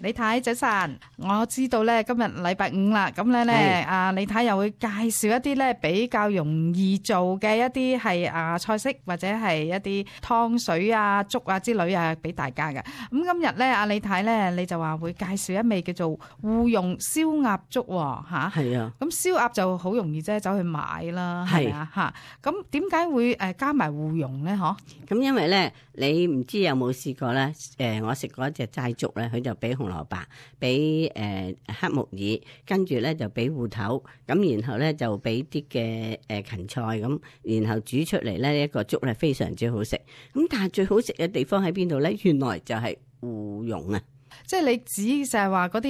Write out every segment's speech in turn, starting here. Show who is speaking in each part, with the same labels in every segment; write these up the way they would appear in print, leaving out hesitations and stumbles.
Speaker 1: 李太早晨，我知道咧今日禮拜五啦，咁咧李太又會介紹一啲咧比較容易做嘅一啲係菜式或者係一啲湯水啊、粥啊之類啊俾大家嘅。咁今日咧李太咧你就話會介紹一味叫做芋蓉燒鴨粥吓。係啊。咁燒鴨就好容易啫，走去買啦，係啊吓。咁點解會加埋芋蓉咧？嗬？咁
Speaker 2: 因為咧，你唔知有冇試過咧？我食過一隻齋粥咧，佢就俾紅蘿蔔，俾黑木耳，跟住咧就俾芋頭，咁然後咧就俾啲嘅芹菜咁，然後煮出嚟咧一個粥咧非常之好食。咁但係最好食嘅地方喺邊度咧？原來就係芋蓉啊！
Speaker 1: 即係你指就係話嗰啲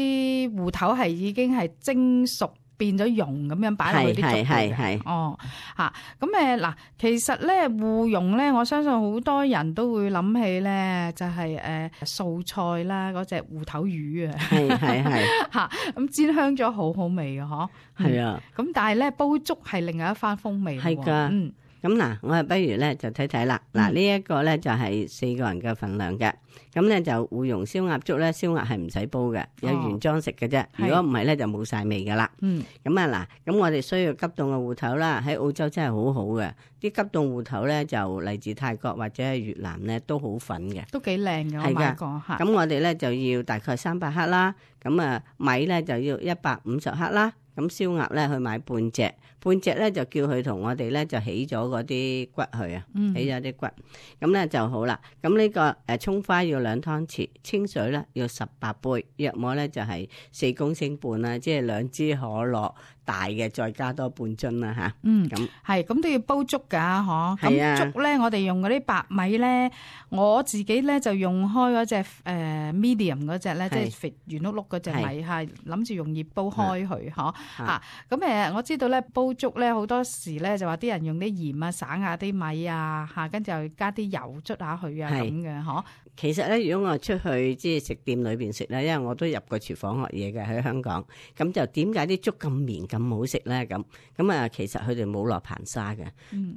Speaker 1: 芋頭係已經係蒸熟，變咗蓉咁樣擺落去啲粥度嘅。係哦嚇，咁嗱，其實咧芋蓉咧，我相信好多人都會諗起咧，就係素菜啦，嗰隻芋頭魚啊，係嚇，咁煎香咗好好味嘅嗬。係啊，咁但係咧煲粥係另外一番風味。係㗎，
Speaker 2: 咁嗱，我不如咧就睇睇啦。嗱，呢一個咧就係4個人嘅份量嘅。咁咧就芋蓉燒鴨粥咧，燒鴨係唔使煲嘅，有原裝食嘅啫。如果唔係咧，就冇晒味噶啦。咁啊嗱，咁我哋需要急凍嘅芋頭啦。喺澳洲真係好好嘅，啲急凍芋頭咧就嚟自泰國或者係越南咧都好粉嘅，
Speaker 1: 都幾靚嘅。我買過嚇。
Speaker 2: 咁我哋咧就要大概300克啦。咁啊米咧就要150克啦。咁燒鴨咧去買半隻咧就叫佢同我哋咧就起咗嗰啲骨去啊，起咗啲骨，咁咧就好啦。咁呢個蔥花要2湯匙，清水咧要18杯，約莫咧就係4公升半啦，即係2支可樂大嘅，再加多半樽啦吓。咁
Speaker 1: 係咁都要煲粥噶嗬。咁粥咧，我哋用嗰啲白米咧，我自己咧就用開嗰隻medium 嗰隻咧，即係肥圓碌碌嗰隻米，係諗住用熱煲開佢嗬。咁我知道咧煲粥咧好多時咧就話啲人用啲鹽啊省下啲米啊吓，跟住又加啲油捽下佢啊咁嘅嗬。
Speaker 2: 其實咧，如果我出去即係食店裏邊食咧，因為我都入過廚房學嘢嘅喺香港，咁就點解啲粥咁綿咁好食咧？咁啊，其實佢哋冇落硼砂嘅，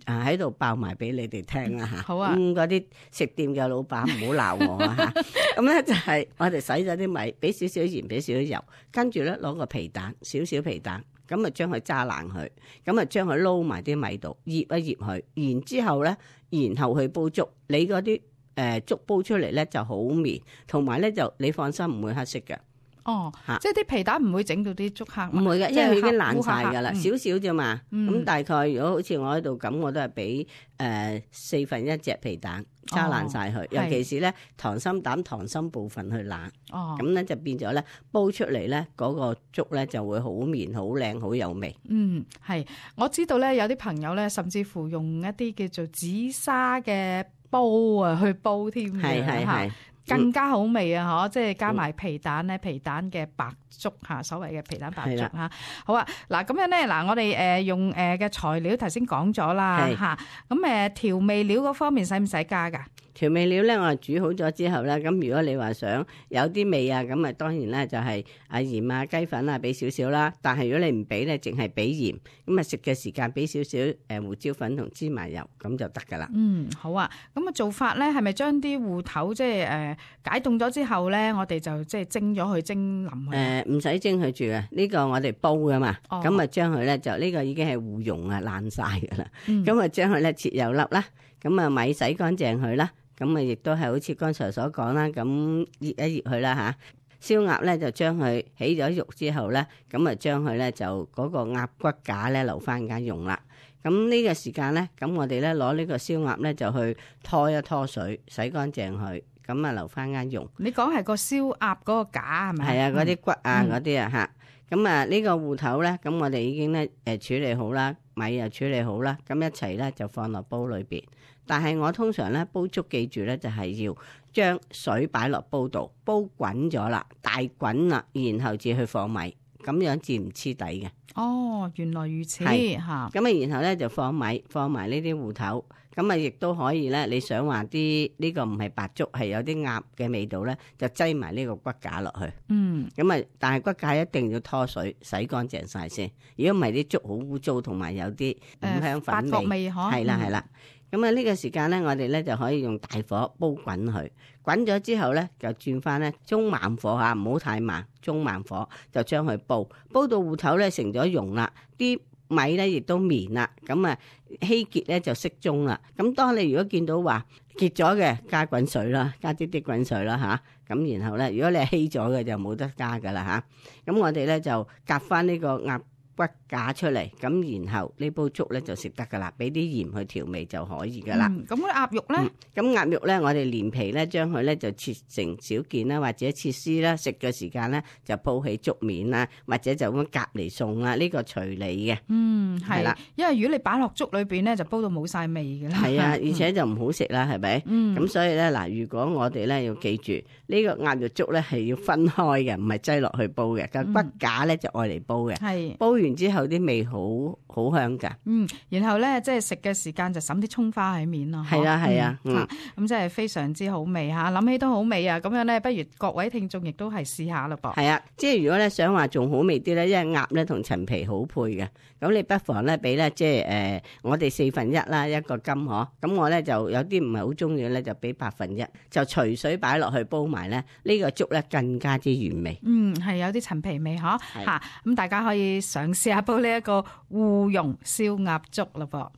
Speaker 2: 喺度爆埋俾你哋聽啦吓。好啊，嗰啲食店嘅老闆唔好鬧我啊吓。咁咧就係我哋洗咗啲米，俾少少鹽，俾少少油，跟住咧攞個皮蛋，少少皮蛋。咁啊，將佢揸爛佢，咁啊，將佢撈埋啲米度，醃一醃佢，然之後咧，然後去煲粥。你嗰啲粥煲出嚟咧就好綿，同埋咧就你放心唔會黑色嘅。
Speaker 1: 哦，即係啲皮蛋唔會整到啲粥黑。
Speaker 2: 唔會嘅，因為佢已經爛晒㗎啦，少少啫嘛。咁大概如果好似我喺度咁，我都係俾1/4隻皮蛋揸爛晒佢，尤其是咧溏心蛋、溏心部分去爛。咁咧就變咗咧煲出嚟咧嗰個粥咧就會好綿、好靚、好有味。
Speaker 1: 係，我知道咧有啲朋友咧甚至乎用一啲叫做紫砂嘅煲啊去煲添嘅。係。更加好味啊！即係加埋皮蛋咧，皮蛋嘅白粥嚇，所謂嘅皮蛋白粥嚇。好啊，嗱咁樣咧，嗱我哋用嘅材料頭先講咗啦嚇，咁調味料嗰方面使唔使加㗎？
Speaker 2: 調味料咧，我煮好咗之後咧，咁如果你話想有啲味啊，咁啊當然咧就係鹽啊、雞粉啊俾少少啦。但係如果你唔俾咧，淨係俾鹽，咁啊食嘅時間俾少少胡椒粉同芝麻油，咁就得噶啦。
Speaker 1: 好啊。咁啊做法咧係咪將啲芋頭即係解凍咗之後咧，我哋就即係蒸咗佢蒸腍佢？
Speaker 2: 唔使蒸佢住嘅，呢個我哋煲噶嘛。咁啊將佢咧就呢個已經係芋蓉啊爛晒噶啦。咁啊將佢咧切幼粒啦，咁啊米洗乾淨佢啦。咁啊，亦都係好似剛才所講啦，咁醃一醃佢啦吓。燒鴨咧就將佢起咗肉之後咧，咁啊將佢咧就嗰個鴨骨架咧留翻間用啦。咁呢個時間咧，咁我哋咧攞呢個燒鴨咧就去拖一拖水，洗乾淨佢，咁啊留翻間用。
Speaker 1: 你講係個燒鴨嗰個架係咪？
Speaker 2: 係啊，嗰啲骨啊嗰啲啊吓。咁啊呢個芋頭咧，咁我哋已經咧處理好啦，米又處理好啦，咁一齊咧就放落煲裏邊。但係我通常咧煲粥，記住咧就係要將水擺落煲度，煲滾咗啦，大滾啦，然後至去放米，咁樣至唔黐底嘅。
Speaker 1: 原來如此嚇。
Speaker 2: 咁啊，然後咧就放米，放埋呢啲芋頭，咁啊亦都可以咧。你想話啲呢個唔係白粥，係有啲鴨嘅味道咧，就擠埋呢個骨架落去。咁啊，但係骨架一定要拖水洗乾淨晒先。如果唔係啲粥好污糟，同埋有啲五香粉味。
Speaker 1: 八角味嗬。
Speaker 2: 係啦係啦。咁啊呢個時間咧，我哋咧就可以用大火煲滾佢，滾咗之後咧就轉翻咧中慢火嚇，唔好太慢，中慢火就將佢煲到芋頭咧成咗蓉啦，啲米咧亦都綿啦，咁啊稀結咧就適中啦。咁當你如果見到話結咗嘅，加滾水啦，加啲滾水啦嚇。咁然後咧，如果你係稀咗嘅就冇得加噶啦嚇。咁我哋咧就夾翻呢個鴨骨架出嚟，咁然後呢煲粥咧就食得噶啦，俾啲鹽去調味就可以噶啦。
Speaker 1: 咁啲鴨肉咧，
Speaker 2: 咁鴨肉咧，我哋連皮咧將佢咧就切成小件啦，或者切絲啦。食嘅時間咧就鋪起粥面啦，或者就咁夾嚟餸啦。呢個隨你嘅。
Speaker 1: 係啦，因為如果你擺落粥裏邊咧，就煲到冇晒味噶啦。
Speaker 2: 係啊，而且就唔好食啦，係咪？咁所以咧嗱，如果我哋咧要記住呢個鴨肉粥咧係要分開嘅，唔係擠落去煲嘅。個骨架咧就愛嚟煲嘅。係煲完之後啲味好香噶。
Speaker 1: 然後咧即係食嘅時間就揼啲葱花喺面咯。
Speaker 2: 係啊係啊，
Speaker 1: 咁即係非常之好味嚇，諗起都好味啊！咁樣咧，不如各位聽眾亦都係試下咯噃。
Speaker 2: 係啊，即係如果咧想話仲好味啲咧，因為鴨咧同陳皮好配嘅，咁你不妨咧俾咧即係我哋1/4啦，一個金嗬。咁我咧就有啲唔係好中意咧，就俾1/8，就隨水擺落去煲埋咧，呢個粥咧更加之原味。
Speaker 1: 係有啲陳皮味嗬嚇，咁大家可以嘗試下煲呢一個芋蓉燒鴨粥咯噃。